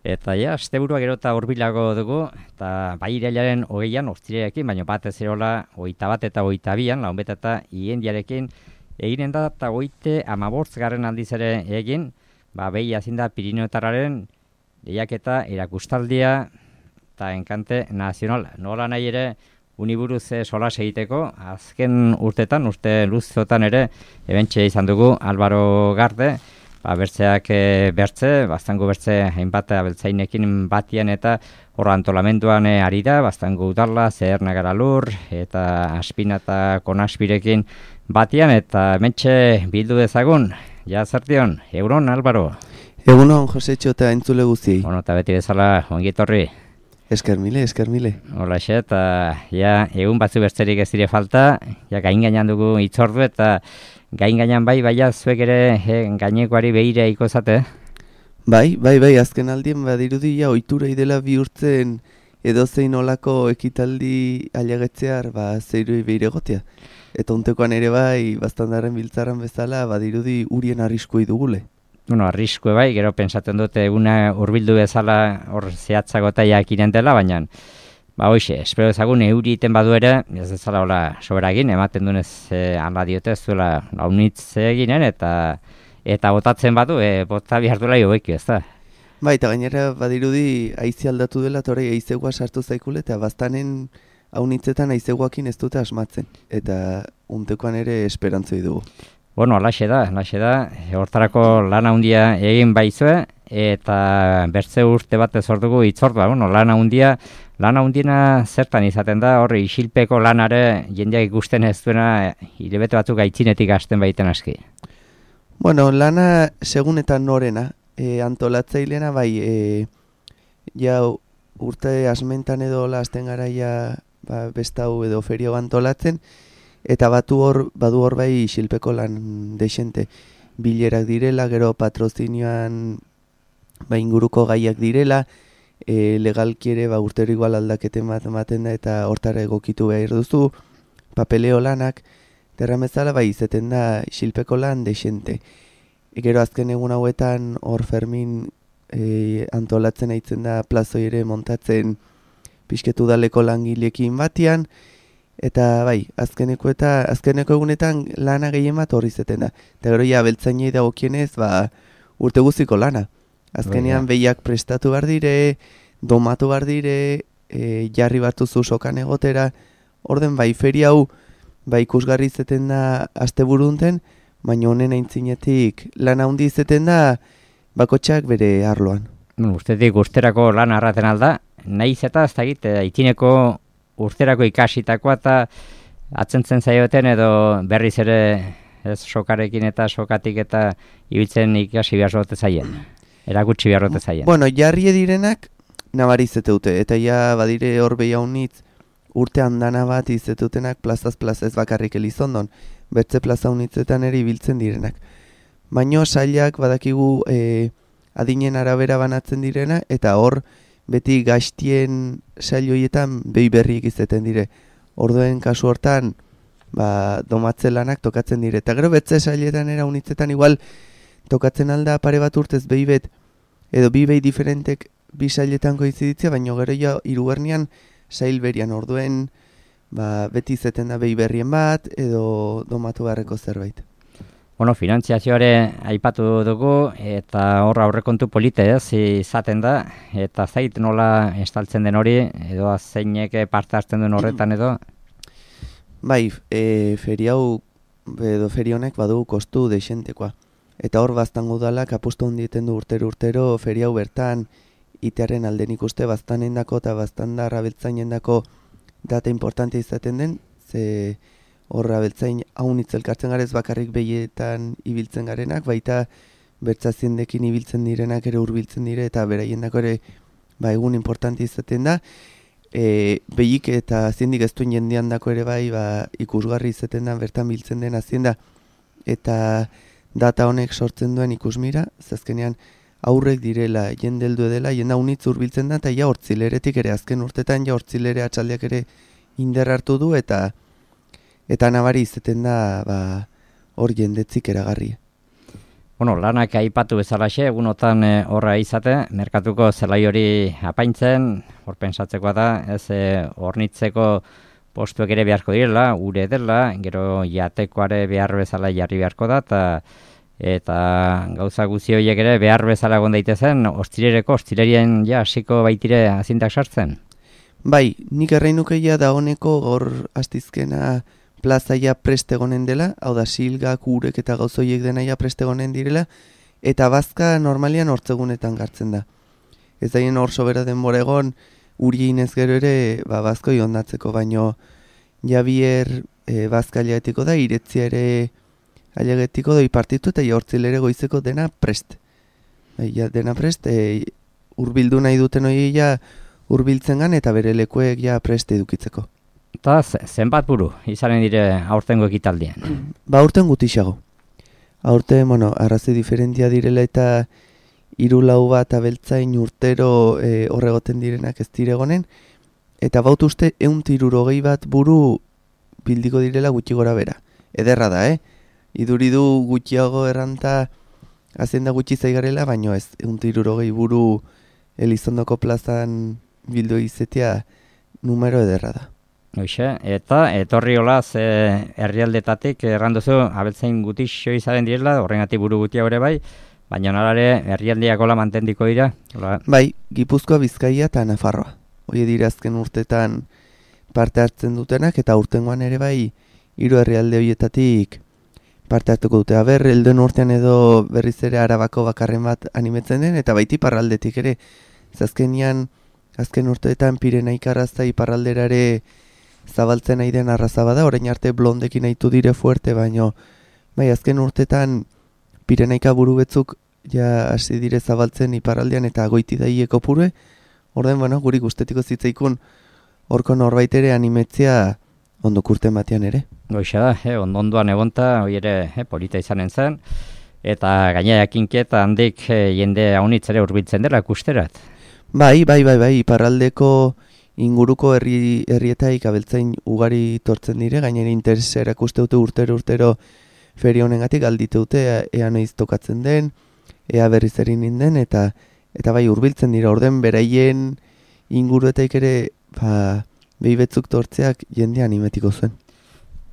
Eta ja, asteburua gero eta hurbilago dugu, eta bai irailaren 20an, ostirarekin, baina batez erola 21 eta 22an, launbeta eta iendiarekin, eginen da eta 35. aldiz ere egin, behi hazin da Pirinioetarraren lehiaketa erakustaldia eta enkante nazionala. Nola nahi ere, uniburuz solas egiteko, azken urtetan, urte luzotan ere, ebentxe izan dugu Álvaro Garde, bertzeak bertze, bastango bertze hainbat abeltzainekin batian eta horra antolamenduan ari da, bastango udala, Zeherna Garalur eta Aspina eta Konaspirekin batian, eta mentxe bildu dezagun, ja zertion, egunon, Álvaro. Egunon, Josetxo eta entzule guztiei. Bueno, eta beti bezala, ongitorri. Eskermile. Hola, eta ja, egun batzu bertzerik ez dire falta, ja gain gainan dugu itzordu eta gain gainan baina zuek ere gainekoari behire ikozate. Bai, azken aldien badirudi ja ohiturei dela bihurtzen edozein olako ekitaldi ailegetzear zeirui behire gotia. Eta untekoan ere bai, bastandarren biltzaran bezala badirudi urien arriskui dugule. Bueno, arriskue bai, gero pensatzen dute eguna hurbildu bezala hor zehatzagota jakinen dela, baina hoxe, espero ezagun euri iten badu ere, ez ezala hola sobera egin, ematen dunez ala diote ez duela launitz eginen, eta botatzen badu, bota behar duela jobeki, ez da? Bai, eta gainera badirudi haize aldatu dela, eta hori haizegua sartu zaikule, eta bastanen haunitzetan haizeguakin ez dute asmatzen, eta untekoan ere esperantzoi dugu. Bueno, alaxe da, hortarako lan handia egin baizue, eta bertze urte bat ezordugu itzordua, bueno, lan handiena zertan izaten da, horri isilpeko lanare jendeak ikusten ez duena, hilabete batzuk aitzinetik hasten baiten aski. Bueno, lana segunetan norena, antolatzailena bai, ja urte asmentan edo lasten garaia bestau edo ferio antolatzen, eta badu hor bai isilpeko lan desente bilerak direla, gero patrozinioan inguruko gaiak direla, legalki ere urtero igual aldaketen bat ematen da eta hortara egokitu behar duzu, papeleo lanak, terramezala bai izeten da isilpeko lan desente. Gero azken egun hauetan hor Fermin antolatzen aitzen da plazoi ere montatzen pixketu daleko langilekin batian, eta bai, azkeneko egunetan lana gehien bat horri zeten da. Eta gero ja, beltzainei dagokienez, urte guztiko lana. Azkenean behiak prestatu behar dire, domatu behar dire, jarri bartuzu sokan egotera. Orden bai, feria hau, ikusgarri zeten da asteburunten, baina honen aintzinetik lana handi zeten da, bakotxak bere arloan. Ustetik usterako lan arraten alda, nahiz eta ez dakit, aitineko urterako ikasitakoa eta atzentzen zaioten edo berriz ere ez sokarekin eta sokatik eta ibiltzen ikasi behar zote zaien, erakutsi behar zote zaien. Bueno, jarri direnak nabarizete dute, eta ja badire hor behiaunitz urte handana bat izetutenak plazaz ez bakarrik Elizondon, bertze plaza unitzetan ere ibiltzen direnak. Baino sailak badakigu adinen arabera banatzen direna, eta hor beti gaztien saioietan behi berriek izeten dire. Orduen kasu hortan, domatze lanak tokatzen dire. Eta gero betze sailetan era unitzetan igual tokatzen alda pare bat urtez behi bet, edo bi behi diferentek bi sailetan koiziditzea, baina gero ja hirugarnean sail berian. Orduen beti izeten da behi berrien bat, edo domatu beharreko zerbait. Bueno, finantziazioare aipatu dugu, eta horra aurrekontu polite izaten da, eta zait nola estaltzen den hori, edo zeinek parte hartzen duen horretan edo? Bai, feriau, edo ferionek badu kostu deixentekoa. Eta hor baztango udalak apustu hondieten du urtero feriau bertan, itearen alden ikuste baztanendako eta baztandarra beltzainendako data importante izaten den, ze horra beltzain haunitz elkartzen garez bakarrik behietan ibiltzen garenak, baita bertzaziendekin ibiltzen direnak ere hurbiltzen dire, eta beraiendako ere egun importante izaten da. Behik eta aziendik ez duen jendean dako ere bai ikusgarri izaten da, bertan biltzen den azienda, eta data honek sortzen duen ikusmira, zazkenean aurrek direla, jendeldu edela, jenda haunitz hurbiltzen da, eta ja hortzileretik ere, azken urtetan ja hortzilere atxaldeak ere inder hartu du, eta nabari izaten da hor jendetzik eragarria. Bueno, lanak aipatu bezalaxe, egunotan horra izate, merkatuko zelai hori apaintzen, hor pensatzekoa da, ez hornitzeko postuek ere beharko direla, ure dela, gero jatekoare behar bezala jarri beharko da, eta gauza guzi horiek ere behar bezala egon daitezen, hostilerien ja hasiko baitire azintak sartzen? Bai, nik erreinukeia da honeko gaur astizkena plazaia prestegonen dela, hau da silgak, urek eta gauzoiek denaia prestegonen direla, eta bazka normalian hortzegunetan gartzen da. Ez daien hor sobera denbora egon, urien ez gero ere bazkoi ondatzeko, baino jabier bazka ailegetiko da, iretzia ere ailegetiko da ipartitu eta jortzil ere goizeko dena prest. Dena prest, urbildu nahi duten hori ja urbiltzen gan eta bere lekuek ja prest edukitzeko. Eta zenbat buru izanen dire aurtengo ekitaldien? Aurten gutixago. Aurten, arrazi diferentia direla eta 3-4 bat abeltzain urtero horregoten direnak ez diregonen, eta baut uste 160 bat buru bildiko direla gutxi gora bera. Ederra da, iduridu gutxiago erranta azenda gutxi zaigarela, baino ez 160 buru Elizondoko plazan bildu izetea numero ederra da. Hoxe, eta etorri olaz herrialdetatik erranduzu abeltzain gutixo izaren direla, horrengatik buru gutia hori bai, baina nolare herrialdiak hola mantendiko dira? Bai, Gipuzkoa, Bizkaia eta Nafarroa. Hoi dira azken urtetan parte hartzen dutenak, eta urtengoan ere bai 3 herrialde horietatik parte hartuko dute. Aber, helduen urtean edo berriz ere Arabako bakarren bat animetzen den, eta baiti iparraldetik ere. Azken urteetan Pirenaik arraza iparraldera ere zabaltzen nahi den arraza bada, orain arte blondekin nahitu dire fuerte, baino bai, azken urtetan Pirenaika buru betzuk ja hasi dire zabaltzen iparraldean eta goiti daieko pure, orden, guri gustetiko zitzaikun horko norbait ere animetzia ondok urten batean ere. Goixa da, ondoan egonta, hori ere polita izanen zen, eta gaina jakinketa handik jende haunitz ere hurbiltzen dela kusterat. Bai, iparraldeko inguruko herrietaik abeltzain ugari tortzen dire, gainera interesa erakuste dute urtero feria honengatik aldite dute ea noiz tokatzen den, ea berriz erin den, eta bai hurbiltzen dira, orden beraien inguruetaik ere behi betzuk tortzeak jende animetiko zuen.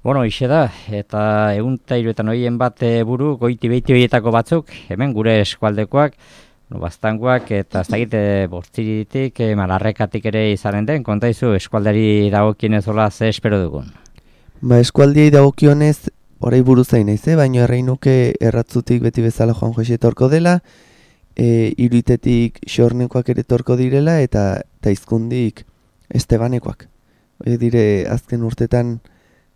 Bueno, ixe da, eta 103 bat buru goiti beiti horietako batzuk, hemen gure eskualdekoak, bastangoak eta ez dakite bortziritik, malarrekatik ere izanen den, kontaizu eskualdari dagokionez hola ze espero dugun? Eskualdiei dagokionez orai buruzain naiz, baina erreinuke erratzutik beti bezala Juan Jose torko dela, Iruitetik Xornekoak ere torko direla, eta Izkundik Estebanekoak. Dire azken urtetan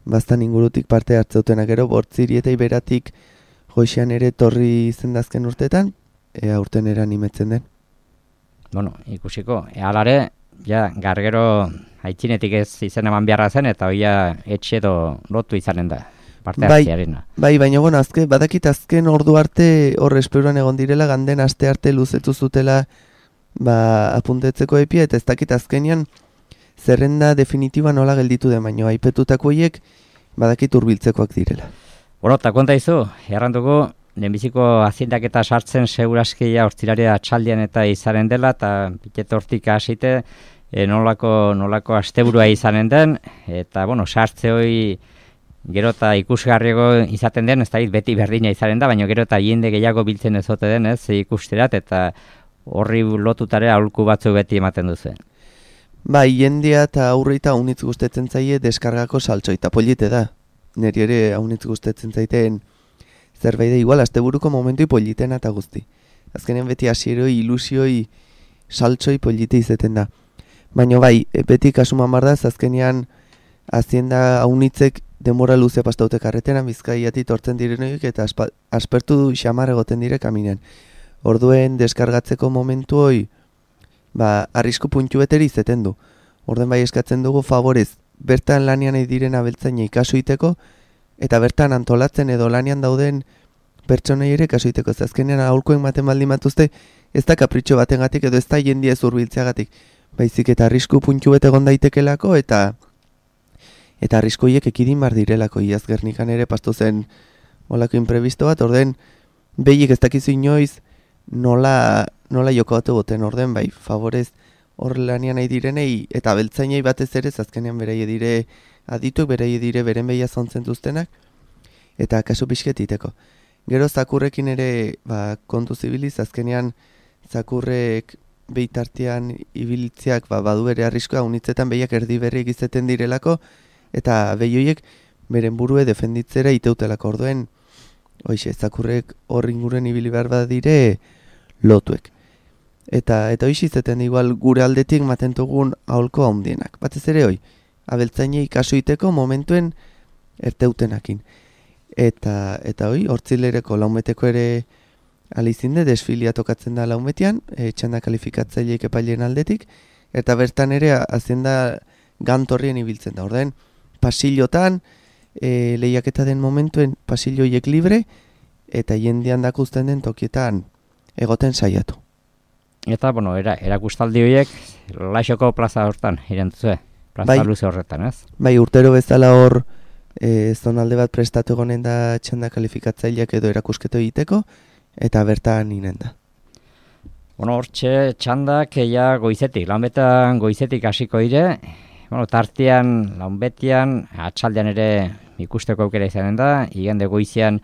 bastan ingurutik parte hartzeutenak, gero bortziri eta iberatik Josean ere torri zen azken urtetan, aurten eran animetzen den. Bueno, ikusiko, alare, ja, gargero haitzinetik ez izen eman beharra zen, eta hoia etxe edo lotu izanen da, parte hartziarena. Bai, baina, badakit azken ordu arte hor esperuan egon direla, ganden aste arte luzetu zutela apuntetzeko epia, eta ez dakit azkenian zerrenda definitiba nola gelditu den, baina aipetutako hiek badakit hurbiltzekoak direla. Bueno, eta konta izu, erranduko, lehenbiziko aziendak eta sartzen seguraskia hortzilaria atxaldian eta izanen dela, eta piket hortik hasite nolako asteburua izanen den, eta sartze hori gero eta ikusgarriago izaten den, ez da beti berdina izanen da, baina gero eta jende gehiago biltzen ezote den, ez ikusterat, eta horri lotutare aholku batzu beti ematen duzen. Bai, jendea eta aurreita haunitz gustetzen zaie deskargako saltxoi, eta polite da. Neri ere haunitz gustetzen zaiten zerbait da, igual, asteburuko momentui politena eta guzti. Azkenen beti hasieroi, ilusioi, saltxoi polite izeten da. Baina bai, beti kasuman bardaz, azkenean azienda haunitzek denbora luze pastaute karreteran Bizkaiatik tortzen direnoik eta aspertu xamar egoten dire kaminean. Orduen deskargatzeko momentu hoi, arrisku puntu beteri izeten du. Orden bai eskatzen dugu favorez, bertan lanian diren abeltzainei kasu iteko, eta bertan antolatzen edo lanian dauden pertsonei ere kasu iteko. Azkenean aholkoen baten baldin batuzte, ez da kapritxo batengatik edo ez da jendia zurbiltzeagatik. Baizik eta arrisku puntu bet egon daitekelako eta arriskoiek ekidin bar direlako. Iaz Gernikan ere pastu zen olako imprebisto bat, orden Behiek ez dakizu inoiz nola jokatu goten orden, bai, favorez hor lanian nahi direnei, eta beltzainei batez ere, azkenean beraie dire adituk, beraie dire beren behia zontzen duztenak, eta kasu pixket iteko. Gero zakurrekin ere kontu zibiliz, azkenean zakurrek behitartean ibilitziak badu bere arriskoa, unitzetan behiak erdi berriek izeten direlako, eta behioiek beren burue defenditzera iteutelako orduen, hoize, zakurrek hor inguren ibili behar badire lotuek. Eta hoiz izeten igual gure aldetik matentugun aholko handienak. Batez ere abeltzainei kasu iteko momentuen erteutenakin. Eta hortzilereko laumeteko ere alizinde desfilia tokatzen da laumetean, txanda kalifikatzaileek epaileen aldetik, eta bertan ere hazienda gantorrien ibiltzen da. Orden, pasillotan, lehiaketa den momentuen pasilloiek libre, eta jendean dakusten den tokietan egoten saiatu. Eta, erakustaldi horiek Laixoko plaza hortan, irentuzue, plaza luze horretan, ez? Bai, urtero bezala hor, zonalde bat prestatu egonen da txanda kalifikatzaileak edo erakusketo egiteko, eta bertan inen da. Hortxe txandak goizetik, lanbetan goizetik hasiko dire, tartean, lanbetian, atxaldean ere ikusteko aukera izanen da, igande goizean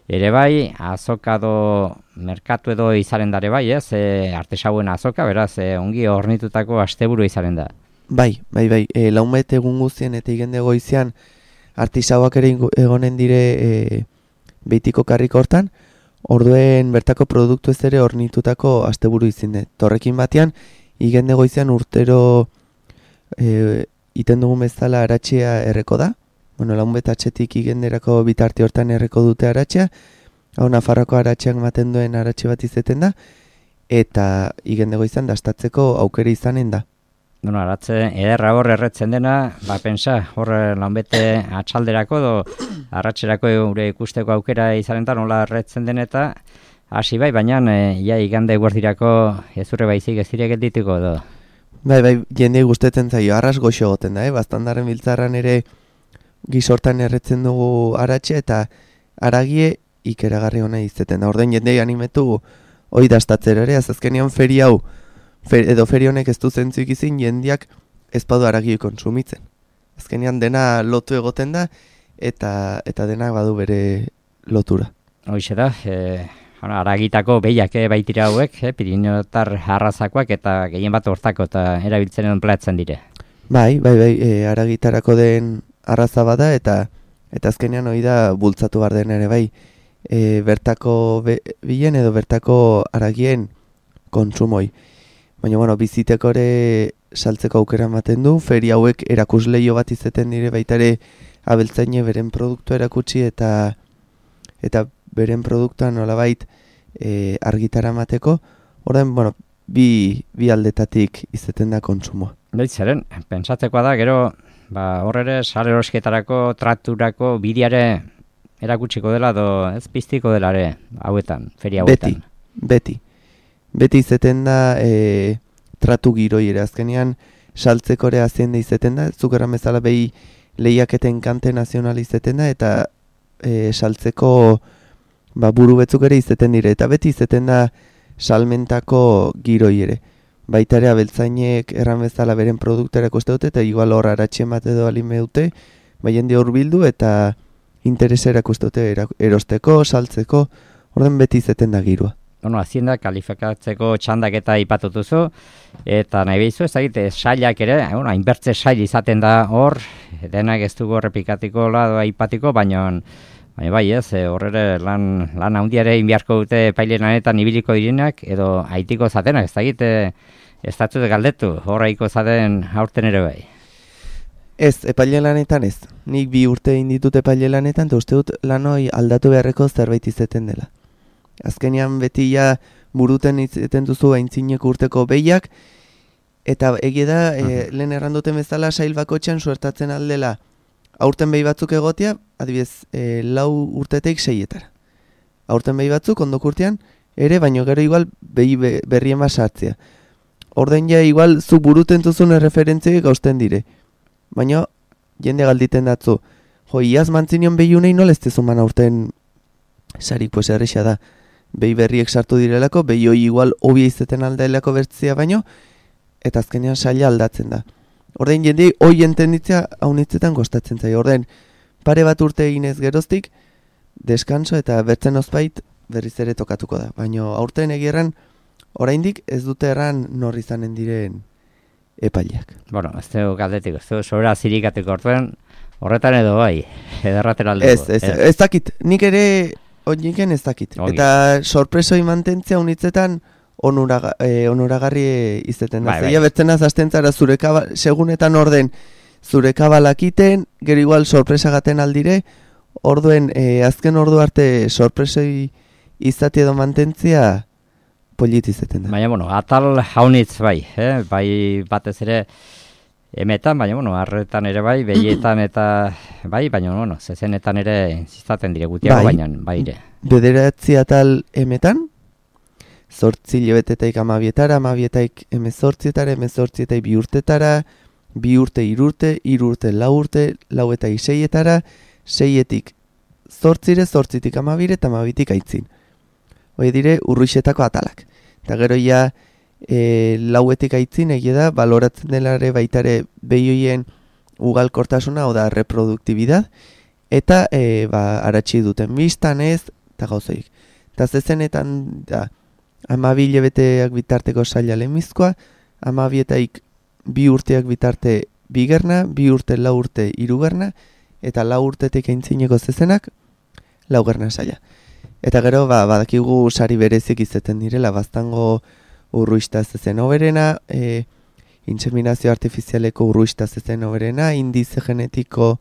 ere bai, azokado merkatu edo izaren dare bai, ez? Artesauen azoka, beraz, ongi hornitutako asteburu izaren da. Bai, laumet egun guztien eta igande goizean artisauak ere egonen dire beitiko karrik hortan, orduen bertako produktu ez ere hornitutako asteburu izinde. Torrekin batean, igande goizean urtero iten dugun bezala aratxea erreko da. Laumet atxetik igenderako bitarte hortan erreko dute aratxea. Hau Nafarroko aratxeak maten duen aratxe bat izeten da. Eta igande goizan dastatzeko aukera izanen da. Aratze ederra hor erretzen dena, pensa, hor lanbete atxalderako edo arratxerako gure ikusteko aukera izanen da, nola erretzen den eta hasi bai, baina igande guardirako ezurre baizik ez direket dituko edo. Bai, jende gustetzen zaio, arras goxo goten da, Bastandaren biltzarran ere gizortan erretzen dugu aratxe eta aragie ikeragarri hona izeten da. Orden jendei animetu hoi dastatzera ere, azkenean feri hau, edo feri honek ez du zentzuik izin jendiak ez badu aragioi konsumitzen. Azkenean dena lotu egoten da eta denak badu bere lotura. Hoixe da, aragitako behiak baitira hauek, Piriniotar arrazakoak eta gehien bat hortako eta erabiltzen edo platzen dire. Bai, aragitarako den arraza bada eta azkenean hori da bultzatu behar den ere bai bertako bilen edo bertako aragien konsumoi. Baina, biziteko ere saltzeko aukera ematen du, feri hauek erakusleio bat izeten dire baitare abeltzaine beren produktua erakutsi eta beren produktua nolabait argitara emateko, orden, bi aldetatik izeten da kontsumoa. Zeren, pentsatzekoa da, gero, horre sare erosketarako, trakturako, bideare erakutsiko dela, ez piztiko dela ere, hauetan, feria hauetan. Beti izeten da tratu giroi ere, azkenean saltzeko ere aziende izeten da, zukerra bezala behi lehiaketen kante nazional izeten da, eta saltzeko buru betzuk ere izeten dire, eta beti izeten da salmentako giroi ere. Baita ere abeltzainek erran bezala beren produktera koste dute, eta igual hor aratxe bat edo alime dute, jende hor bildu eta interesera koste dute erosteko, saltzeko, orden beti izeten da girua. Hazienda kalifikatzeko txandak eta ipatutuzu, eta nahi behizu ezagite sailak ere, hainbertze sail izaten da hor, denak ez dugu errepikatiko lado aipatiko, baina bai ez, horre lan handiare inbiarko dute paile lanetan ibiliko direnak, edo haitiko zatenak, ezagite ez datzute galdetu, horreiko zaten aurten ere bai. Ez, epaile lanetan ez. Nik 2 urte inditut epaile lanetan, eta uste dut lanoi aldatu beharreko zerbait izeten dela. Azkenean beti buruten izeten duzu aintzineko urteko behiak, eta egie da, lehen erranduten bezala sail bakotxean suertatzen aldela aurten behi batzuk egotea, adibidez, 4 urtetik 6etara. Aurten behi batzuk ondok urtean, ere, baino gero igual behi berrien bat sartzea. Orden igual zu buruten duzun erreferentziek gausten dire. Baina jende galditen datzu, iaz mantzinion behi unei nola ez tezuman aurten sarik, pues erresa da. behi berriek sartu direlako, behi hoi igual hobia izeten aldaelako bertzia baino, eta azkenean saila aldatzen da. Ordein jendei hoi entenditzea haunitzetan kostatzen zaio. Ordein pare bat urte eginez geroztik, deskanso eta bertzen ozbait berriz ere tokatuko da. Baina aurten egierran, oraindik ez dute erran norri izanen diren epaileak. Bueno, ez dugu galdetik, ez dugu sobera zirikateko orduan, horretan edo bai, ederraten aldugu. Ez dakit, nik ere honiken ez dakit. Eta sorpresoi mantentzea unitzetan onuragarri izeten da. Zeia bertzen azazten zara segunetan orden zure kabalak iten, gero igual sorpresa gaten aldire, orduen azken ordu arte sorpresoi izate edo mantentzia polit izeten da. Baina, bueno, atal haunitz bai, bai batez ere emetan, baina, bueno, arretan ere bai, behietan eta bai, baina, bueno, zezenetan ere insistaten dire gutiago, baina, bai ere. Bederatzi atal emetan, 8 hilabetetaik 12etara, 12etaik 18etara, 18etaik 2 urtetara, 2 urte 3 urte, 3 urte 4 urte, 4 eta 6etara, 6etik 8, 8tik 12 eta 12tik aitzin. Hoi dire urruixetako atalak. Eta gero ja 4etik aitzin egia da, baloratzen delare baitare behioien ugalkortasuna, oda reproduktibidad, eta aratsi duten biztan ez, eta gauzoik. Eta zezenetan da, 12 hilabeteak bitarteko saila lemizkoa, 12etaik 2 urteak bitarte bigerna, 2 urte 4 urte 3 gerna, eta 4 urtetik aintzineko zezenak 4 gerna saila. Eta gero, badakigu sari berezik izeten direla, baztango urruista zezen oberena, inseminazio artifizialeko urruista zezen oberena, indize genetiko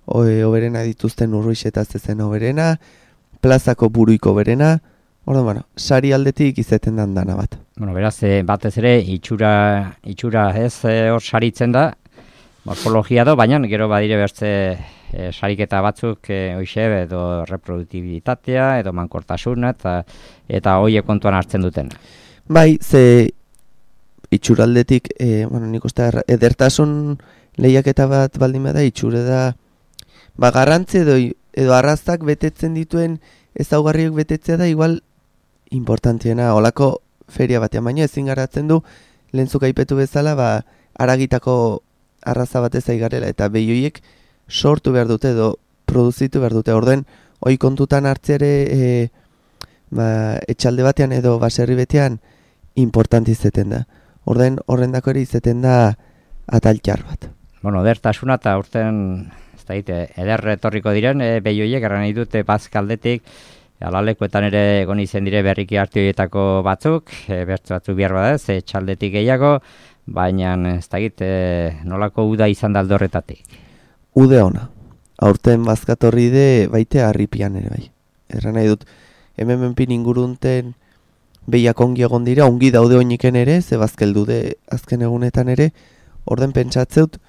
oberena dituzten urruixeta zezen oberena, plazako buruiko oberena, bueno, sari aldetik izeten dana bat. Bueno, beraz, batez ere, itxura ez hor saritzen da, morfologia do, baina gero badire bertze sariketa batzuk hoxe edo reproduktibitatea edo mankortasuna eta hoiek kontuan hartzen duten. Bai, ze itxuraldetik, nik uste edertasun lehiaketa bat baldin bada itxure da garrantzi edo arraztak betetzen dituen ezaugarriak betetzea da igual importantiena olako feria batean, baina ezin garatzen du lehentzuk aipetu bezala aragitako arraza batez aigarela eta behioiek sortu behar dute edo produzitu behar dute. Orden, hoi kontutan hartzeare etxalde batean edo baserri betean importanti izeten da. Orden, horrendako ere izeten da ataltxar bat. Bueno, edertasuna eta urten eder etorriko diren behioiek erran nahi dute bazkaldetik alalekuetan ere egon izen dire berriki hartu horietako batzuk, bertzu batzuk behar badaz, etxaldetik gehiago, baina ez dakit nolako uda izan da aldorretatik. Ude ona. Aurten bazkatorri de baite harripian ere bai. Erran nahi dut, hemen menpin ingurunten behiak ongi egon dira, ongi daude oiniken ere, ze bazkeldu de azken egunetan ere, orden pentsatzeut,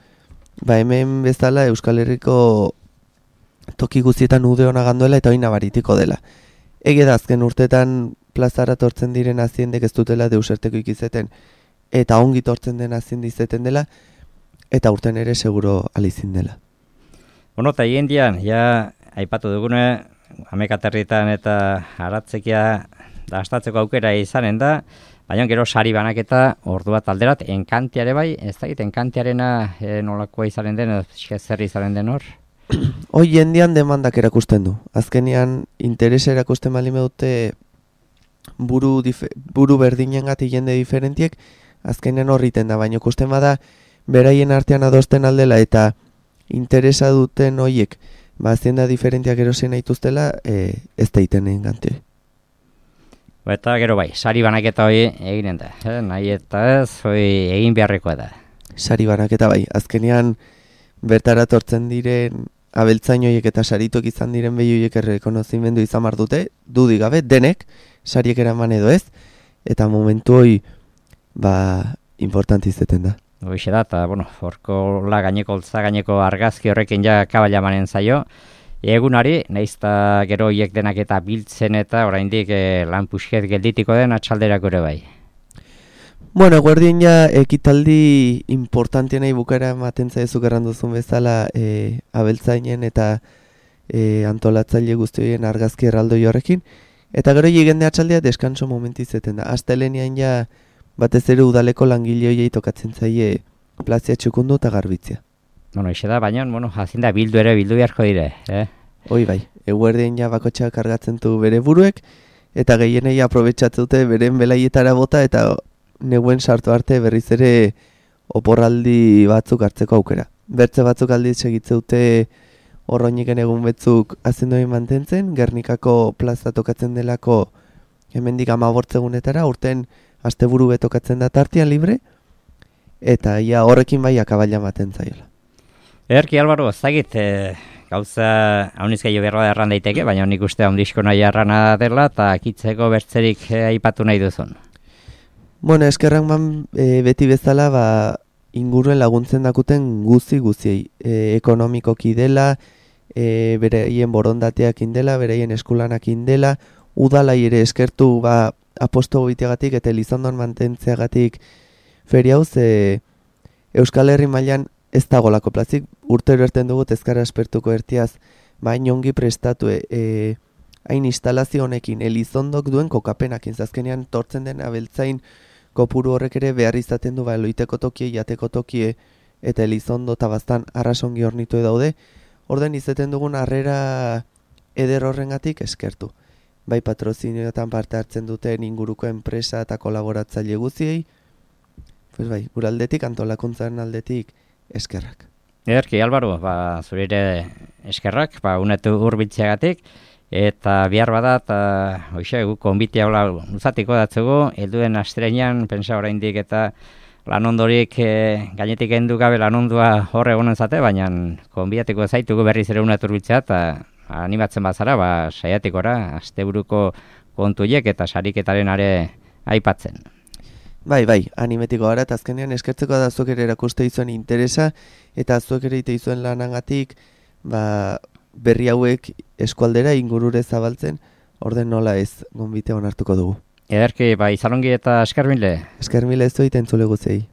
hemen bezala Euskal Herriko toki guztietan ude ona ganduela eta hori nabaritiko dela. Ege da azken urtetan plazara tortzen diren aziendek ez dutela deuserteko ikizeten, eta ongi tortzen den aziendi izeten dela, eta urten ere seguro alizin dela. Bueno, eta hiendian, ja, aipatu dugune, amekaterritan eta aratzekia dastatzeko aukera izanen da, baina gero sari banaketa ordu bat alderat, enkantiare bai, ez dakit, enkantiarena nolakoa izanen den, zer izanen den hor? Hoi jendian demandak erakusten du. Azkenian interesa erakusten bali dute buru berdinengatik jende diferentiek, azkenean horriten da, baina ikusten bada beraien artean adosten aldela eta interesa duten hoiek azienda diferentiak erosen aituztela, ez da iten egin gante. Eta gero bai, sari banaketa hori eginen da, nahi eta ez, hori egin beharrekoa da. Sari banaketa bai, azkenean bertara tortzen diren abeltzainoiek eta saritok izan diren behioiek errekonozimendu izan bar dute, dudik gabe, denek, sariek eraman edo ez, eta momentu hori, importanti izeten da. Hoxe da, eta, horko gaineko argazki horrekin ja kabala manen zaio, egunari, naizta gero hiek denak eta biltzen eta oraindik lan pusket gelditiko den atxalderako ere bai. Bueno, guardien ja ekitaldi importantienei bukara ematen zaizuk erranduzun bezala abeltzainen eta antolatzaile guztioien argazki erraldoi horrekin, Eta gero jigende atxaldea deskanso momenti izeten da. Astelenean ja batez ere udaleko langile hoiei tokatzen zaie plazia txukundu eta garbitzea. Bueno, ixe da, baina, jazin da bildu beharko dire, Hoi bai, eguerdean ja bakotxak kargatzen du bere buruek, eta gehienei aprobetsatzen dute beren belaietara bota, eta neguen sartu arte berriz ere oporraldi batzuk hartzeko aukera. Bertze batzuk aldiz segitze dute horroiniken egun betzuk azendoi mantentzen, Gernikako plaza tokatzen delako hemendik 15 egunetara, urten asteburu betokatzen da tartian libre, eta ja horrekin bai akabaila maten zaiola. Ederki, Albaro, zagit, gauza hauniz gehiago berroa erran daiteke, baina nik uste haundizko nahi errana dela, eta kitzeko bertzerik aipatu nahi duzun. Bueno, eskerrak beti bezala, inguruen laguntzen dakuten guziei. Ekonomikoki dela, bereien borondateak indela, bereien eskulanak indela, udalai ere eskertu aposto goiteagatik eta Elizondon mantentzeagatik feria hau, Euskal Herri mailan ez dagolako plazik, urtero erten dugu ezkara espertuko ertiaz, baina ongi prestatu hain instalazio honekin Elizondok duen kokapenak, azkenean tortzen den abeltzain kopuru horrek ere behar izaten du loiteko tokie, jateko tokie eta Elizondo eta bastan arrasongi hornitu daude, orden izaten dugun harrera eder horrengatik eskertu. Bai patrozinioetan parte hartzen duten inguruko enpresa eta kolaboratzaile guziei, pues bai, guraldetik, antolakuntzaren aldetik, eskerrak. Ederki, Albaro, zurire eskerrak, unetu urbiltzeagatik, eta bihar bada, eta hoxe, gu konbitea hola luzatiko datzugu, helduen astrenean, pensa oraindik eta lanondorik gainetik endu gabe lanondua horre egonen zate, baina konbiatiko zaitugu berriz ere unetu urbiltzea, eta animatzen bazara, saiatikora, asteburuko kontuiek eta sariketaren are aipatzen. Bai, animetiko gara, eta azkenean eskertzeko da zuek ere erakuste izuen interesa, eta zuek ere ite izuen lanagatik, berri hauek eskualdera ingurure zabaltzen, orden nola ez gonbitea onartuko dugu. Ederki, izalongi eta eskermile. Eskermile ez du iten zule guzei.